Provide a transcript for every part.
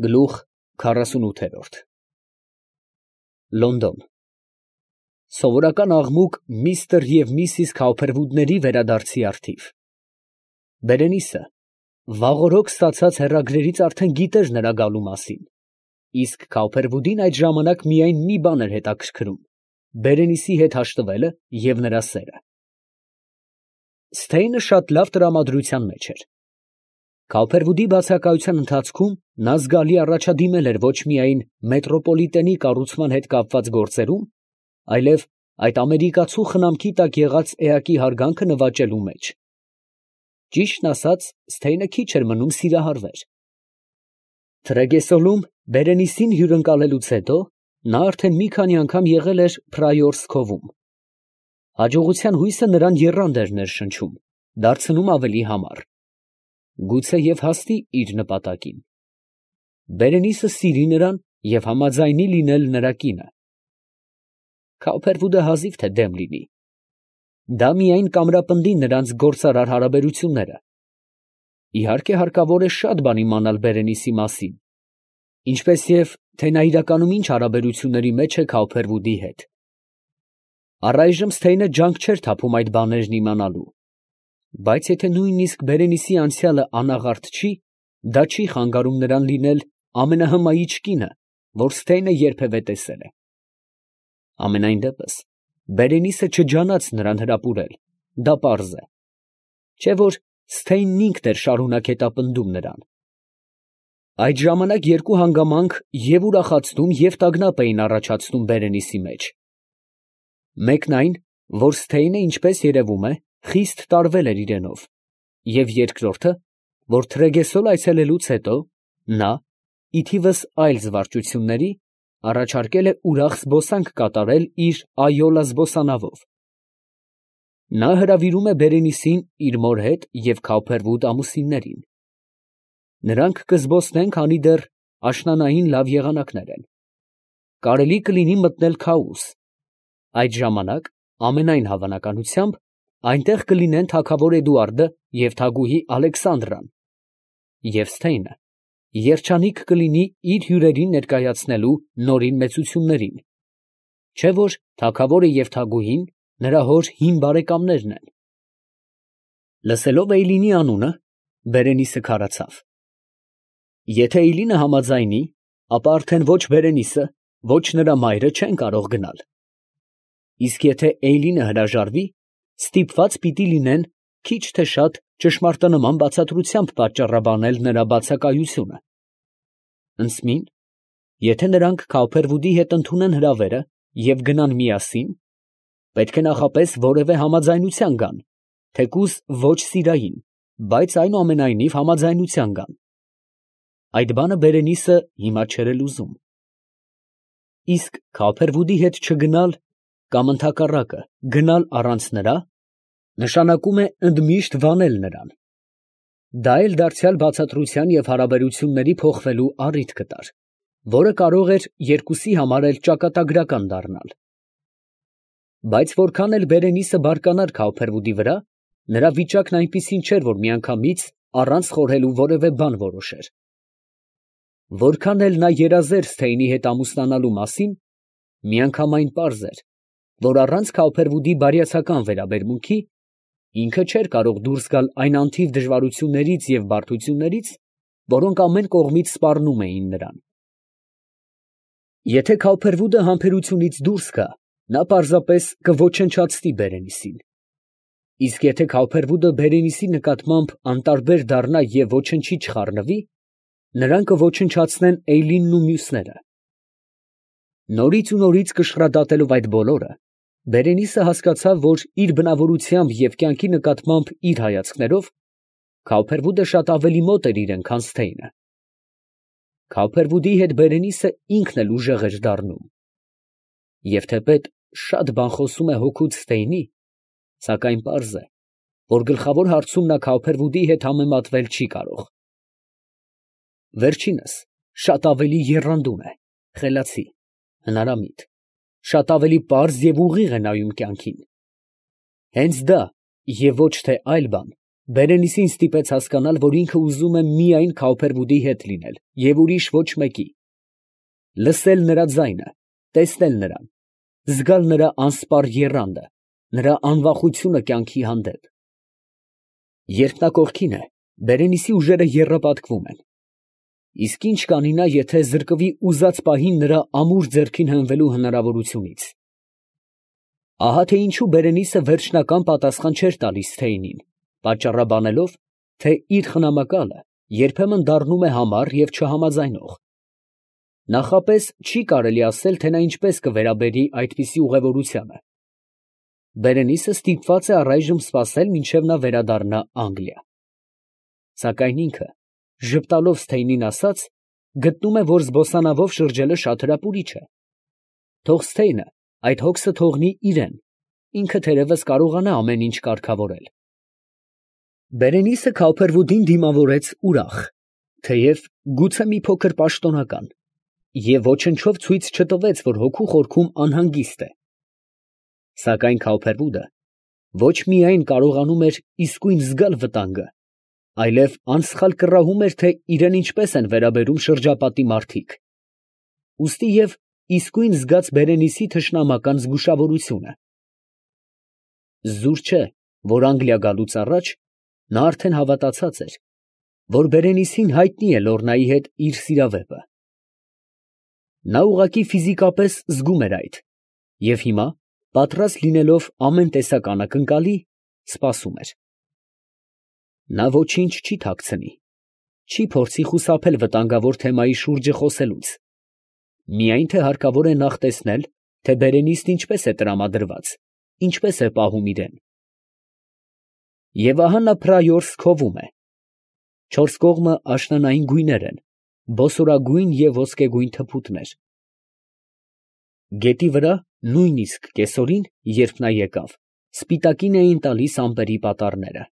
Գլուխ 48 Լոնդոն Սովորական աղմուկ միստր և միսիս Քաուփերվուդների վերադարձի առթիվ։ Բերենիսը վաղօրոք ստացած հեռագրերից արդեն գիտեր նրա գալու մասին, իսկ Քաուփերվուդին այդ ժամանակ միայն մի բան էր հետաքրքրում՝ Բերենիսի հետ հաշտվելը և նրա սերը։ Սթեյնը շատ լավ տրամադրության մեջ էր։ Քաուփերվուդի բացակայության ընթացքում նա զգալի առաջադիմել էր ոչ միայն մետրոպոլիտենի կառուցման հետ կապված գործերում, այլև այդ ամերիկացու խնամքի տակ եղած էակի հարգանքը նվաճելու մեջ։ Ճիշտն ասած, Սթեյնը քիչ էր մնում սիրահարվեր։ Թրեգեսոլում Բերենիսին հյուրընկալելուց հետո նա արդեն մի քանի անգամ եղել էր Փրայորս Քովում։ Հաջողության հույսը նրան եռանդ էր ներշնչում, դարձնում ավելի համառ։ Գուցե և հասնի իր նպատակին։ Բերենիսը սիրի նրան և համաձայնի լինել նրա կինը։ Քաուփերվուդը հազիվ թե դեմ լինի։ Դա միայն կամրապնդի նրանց գործարար հարաբերությունները։ Իհարկե հարկավոր է շատ բան իմանալ Բերենիսի մասին, ինչպես և թե նա իրականում ինչ հարաբերությունների մեջ է Քաուփերվուդի հետ։ Առայժմ Սթեյնը ջանք չէր թափում այդ բաներն իմանալու, բայց եթե նույնիսկ Բերենիսի անցյալը անաղարտ չի, դա չի խանգարում նրան լինել ամենահմայիչ կինը, որ Սթեյնը երբևէ տեսել է։ Համենայն դեպս, Բերենիսը չջանաց նրան հրապուրել, դա պարզ է, չէ՞ որ Սթեյնն ինքն էր շարունակ հետապնդում նրան։ Այդ ժամանակ երկու հանգամանք և ուրախացնում, և տագնապ էին առաջացնում Բերենիսի մեջ։ Մեկն այն, որ Սթեյնը, ինչպես երևում է, խիստ տարվել էր իրենով, և երկրորդը, որ Թրեգեսոլ այցելելուց հետո նա, ի թիվս այլ զվարճությունների, առաջարկել է ուրախ զբոսանք կատարել իր այոլա զբոսանավով։ Նա հրավիրում է Բերենիսին իր մոր հետ և Քաուփերվուդ ամուսիններին։ Նրանք կզբոսնեն, քանի դեռ աշնանային լավ եղանակներ են։ Կարելի կլինի մտնել Քաուս։ Այդ ժամանակ, ամենայն հավանականությամբ, այնտեղ կլինեն թագավոր Էդուարդը և թագուհի Ալեքսանդրան, և Սթեյնը երջանիկ կլինի իր հյուրերին ներկայացնելու նորին մեծություններին, չէ՞ որ թագավորը և թագուհին նրա հոր հին բարեկամներն են։ Լսելով Էյլինի անունը, Բերենիսը քարացավ։ Եթե Էյլինը համաձայնի, ապա արդեն ոչ Բերենիսը, ոչ նրա մայրը չեն կարող գնալ։ Իսկ եթե Էյլինը հրաժարվի, ստիպված պիտի լինեն քիչ թե շատ ճշմարտանման բացատրությամբ պատճառաբանել նրա բացակայությունը։ Ընդսմին, եթե նրանք Քաուփերվուդի հետ ընդունեն հրավերը և գնան միասին, պետք է նախապես որևէ համաձայնության գան, թեկուզ ոչ սիրային, բայց այնուամենայնիվ համաձայնության գան։ Այդ բանը Բերենիսը հիմա չէր էլ ուզում։ Իսկ Քաուփերվուդի հետ չգնալ կամ ընդհակառակը գնալ առանց նրա, նշանակում է ընդմիշտ վանել նրան։ Դա էլ դարձյալ բացատրության և հարաբերությունների փոխվելու առիթ կտար, որը կարող էր երկուսի համար էլ ճակատագրական դառնալ։ Բայց որքան էլ Բերենիսը բարկանար Քաուփերվուդի վրա, նրա վիճակն այնպիսին չէր, որ միանգամից առանց խորհելու որևէ բան որոշեր։ Որքան էլ նա երազեր Սթեյնի հետ ամուսնանալու մասին, միանգամայն պարզ էր, որ առանց Քաուփերվուդի բարյացակամ վերաբերմունքի ինքը չէր կարող դուրս գալ այն անթիվ դժվարություններից և բարդություններից, որոնք ամեն կողմից սպառնում էին նրան։ Եթե Քաուփերվուդը համբերությունից դուրս գա, նա պարզապես կոչնչացնի Բերենիսին։ Իսկ եթե Քաուփերվուդը Բերենիսի նկատմամբ անտարբեր դառնա և ոչնչի չխառնվի, նրան կոչնչացնեն Էյլինն ու մյուսները։ Նորից ու նորից կշռադատելով այդ բոլորը, Բերենիսը հասկացավ, որ իր բնավորությամբ և կյանքի նկատմամբ իր հայացքներով Քաուփերվուդը շատ ավելի մոտ էր իրան, քան Սթեյնը։ Քաուփերվուդի հետ Բերենիսը ինքն էլ ուժեղ էր դառնում։ Եվ թեպետ շատ բան խոսում է հօգուտ Սթեյնի, սակայն պարզ է, որ գլխավոր հարցում նա Քաուփերվուդի հետ համեմատվել չի կարող։ Վերջինս շատ ավելի եռանդուն է, խելացի, հնարամիտ, շատ ավելի պարզ և ուղիղ է նայում կյանքին։ Հենց դա և ոչ թե այլ բան Բերենիսին ստիպեց հասկանալ, որ ինքը ուզում է միայն Քաուփերվուդի հետ լինել և ուրիշ ոչ մեկի, լսել նրա ձայնը, տեսնել նրան, զգալ նրա անսպառ եռանդը, նրա անվախությունը կյանքի հանդեպ։ Երբ նա կողքին է, Բերենիսի ուժերը եռապատկվում են։ Իսկ ինչ կանի նա, եթե զրկվի ուզած պահին նրա ամուր ձեռքին հենվելու հնարավորությունից։ Ահա թե ինչու Բերենիսը վերջնական պատասխան չէր տալիս Թեյնին, պատճառաբանելով, թե իր խնամակալը երբեմն դառնում է համառ և չհամաձայնող։ Նախապես չի կարելի ասել, թե նա ինչպես կվերաբերի այդպիսի ուղևորությանը։ Բերենիսը ստիպված է առայժմ սպասել, մինչև նա վերադառնա Անգլիա։ Սակայն ինքը, ժպտալով Սթեյնին ասաց, գտնում է, որ զբոսանավով շրջելը շատ հրապուրիչ է։ Թող Սթեյնը այդ հոգսը թողնի իրեն, ինքը թերևս կարողանա ամեն ինչ կարգավորել։ Բերենիսը Քաուփերվուդին դիմավորեց ուրախ, թեև գուցե մի փոքր պաշտոնական, և ոչնչով ցույց չտվեց, որ հոգու խորքում անհանգիստ է։ Սակայն Քաուփերվուդը ոչ միայն կարողանում էր իսկույն զգալ վտանգը, այլև անսխալ կռահում էր, թե իրեն ինչպես են վերաբերում շրջապատի մարդիկ։ Ուստի և իսկույն զգաց Բերենիսի թշնամական զգուշավորությունը։ Զուր չէ, որ Անգլիա գալուց առաջ նա արդեն հավատացած էր, որ Բերենիսին հայտնի է Լոռնայի հետ իր սիրավեպը։ Նա ուղղակի ֆիզիկապես զգում էր այդ, և հիմա, պատրաստ լինելով ամեն տեսակ անակնկալի, սպասում էր։ Նա ոչինչ չի թաքցնի, չի փորձի խուսափել վտանգավոր թեմայի շուրջը խոսելուց, միայն թե հարկավոր է նախ տեսնել, թե Բերենիսն ինչպես է տրամադրված, ինչպես է պահում իրեն։ Եվ ահա նա փրայորս է. չորս կողմը աշնանային գույներ են, բոսորագույն և ոսկեգույն թփուտներ։ Գետի վրա, նույնիսկ կեսօրին, երբ նա եկավ, սպիտակին էին տալիս ամպերի պատառները։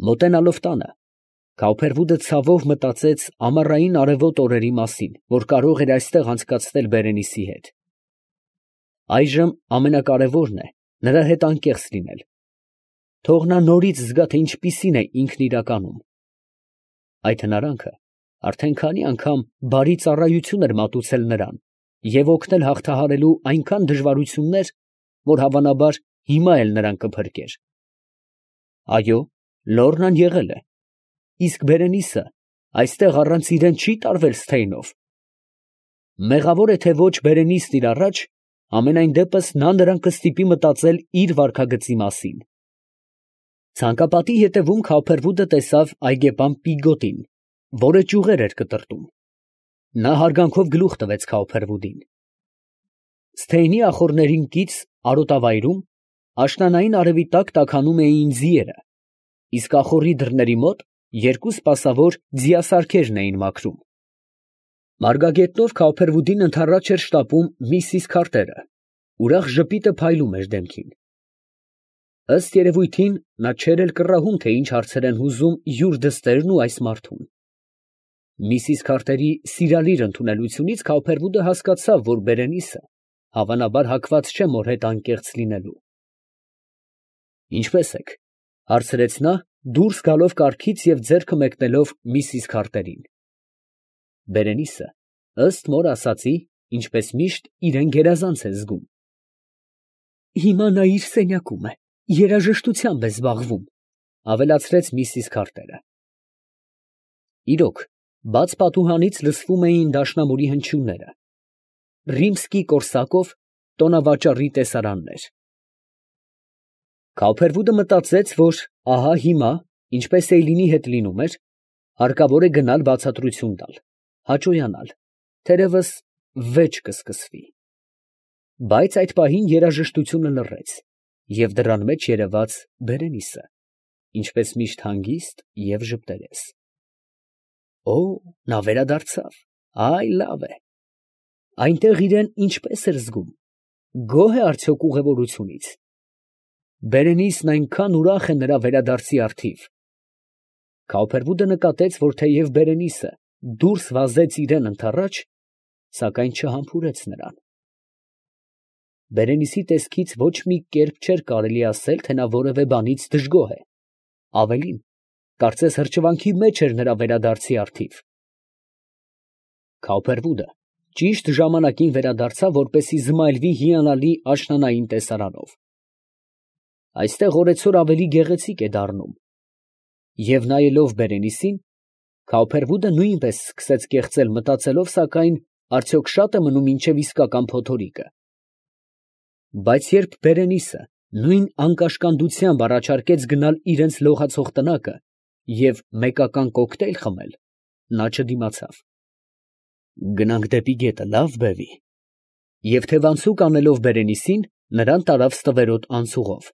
Մոտենալով տանը, Քաուփերվուդը ցավով մտածեց ամառային արևոտ օրերի մասին, որ կարող էր այստեղ անցկացնել Բերենիսի հետ։ Այժմ ամենակարևորն է նրա հետ անկեղծ լինել։ Թող նա նորից զգա, թե ինչպիսին է ինքն իրականում։ Այդ հնարանքը արդեն քանի անգամ բարի ծառայություն էր մատուցել նրան և օգնել հաղթահարելու այնքան դժվարություններ, որ հավանաբար հիմա էլ նրան կփրկեր։ Այո, Լոռնան եղել է, իսկ Բերենիսը այստեղ առանց իրեն չի տարվել Սթեյնով։ Մեղավոր է, թե ոչ Բերենիսն իր առաջ, ամենայն դեպս նա նրան կստիպի մտածել իր վարքագծի մասին։ Ցանկապատի ետևում Քաուփերվուդը տեսավ այգեպան Պիգոտին, որը ճյուղեր էր կտրտում։ Նա հարգանքով գլուխ տվեց Քաուփերվուդին։ Սթեյնի ախոռներին կից արոտավայրում աշնանային արևի տակ տաքանում էին ձիերը, իսկ ախոռի դռների մոտ երկու սպասավոր ձիասարքերն էին մաքրում։ Մարգագետնով Քաուփերվուդին ընդառաջ էր շտապում միսիս Քարտերը, ուրախ ժպիտը փայլում էր դեմքին։ Ըստ երևույթին, նա չէր էլ կռահում, թե ինչ հարցեր են հուզում յուր դստերն ու այս մարդուն։ Միսիս Քարտերի սիրալիր ընդունելությունից Քաուփերվուդը հասկացավ, որ Բերենիսը հավանաբար հակված չէ մոր հետ անկեղծ լինելու։ «Ինչպե՞ս եք», ֊ հարցրեց նա, դուրս գալով կառքից և ձեռքը մեկնելով միսիս Քարտերին։ Բերենիսը, ըստ մոր ասածի, ինչպես միշտ, իրեն գերազանց է զգում։ «Հիմա նա իր սենյակում է, երաժշտությամբ է զբաղվում», ֊ ավելացրեց միսիս Քարտերը։ Իրոք, բաց պատուհանից լսվում էին դաշնամուրի հնչյունները։ Ռիմսկի֊Կորսակով տոնավաճառի տեսարաններ։ Քաուփերվուդը մտածեց, որ ահա հիմա, ինչպես Էյլինի հետ լինում էր, հարկավոր է գնալ բացատրություն տալ, հաճոյանալ, թերևս վեճ կսկսվի։ Բայց այդ պահին երաժշտությունը լռեց, և դռան մեջ երևաց Բերենիսը, ինչպես միշտ հանգիստ և ժպտերես։ Օ, նա վերադարձավ, այ լավ է։ Այնտեղ իրեն ինչպես էր զգում, գոհ է արդյոք ուղևորությունից։ Բերենիսն այնքան ուրախ է նրա վերադարձի առթիվ։ Քաուփերվուդը նկատեց, որ թեև Բերենիսը դուրս վազեց իրան ընդառաջ, սակայն չհամբուրեց նրան։ Բերենիսի տեսքից ոչ մի կերպ չէր կարելի ասել, թե նա որևէ բանից դժգոհ է, Ավելին, կարծես հրճվանքի մեջ էր նրա վերադարձի առթիվ։ Քաուփերվուդը ճիշտ ժամանակին վերադարձավ, որպեսզի զմայլվի հիանալի աշնանային տեսարանով։ Այստեղ օրեցօր ավելի գեղեցիկ է դառնում։ Եվ նայելով Բերենիսին, Քաուփերվուդը նույնպես սկսեց կեղծել, մտածելով, սակայն, արդյոք շատ է մնում մինչև իսկական փոթորիկը։ Բայց երբ Բերենիսը նույն անկաշկանդությամբ առաջարկեց գնալ իրենց լողացող տնակը և մեկական կոկտեյլ խմել, նա չդիմացավ։ Գնանք դեպի գետը, լավ, բևի։ Եվ թևանցուկ անելով Բերենիսին, նրան տարավ ստվերոտ անցուղով։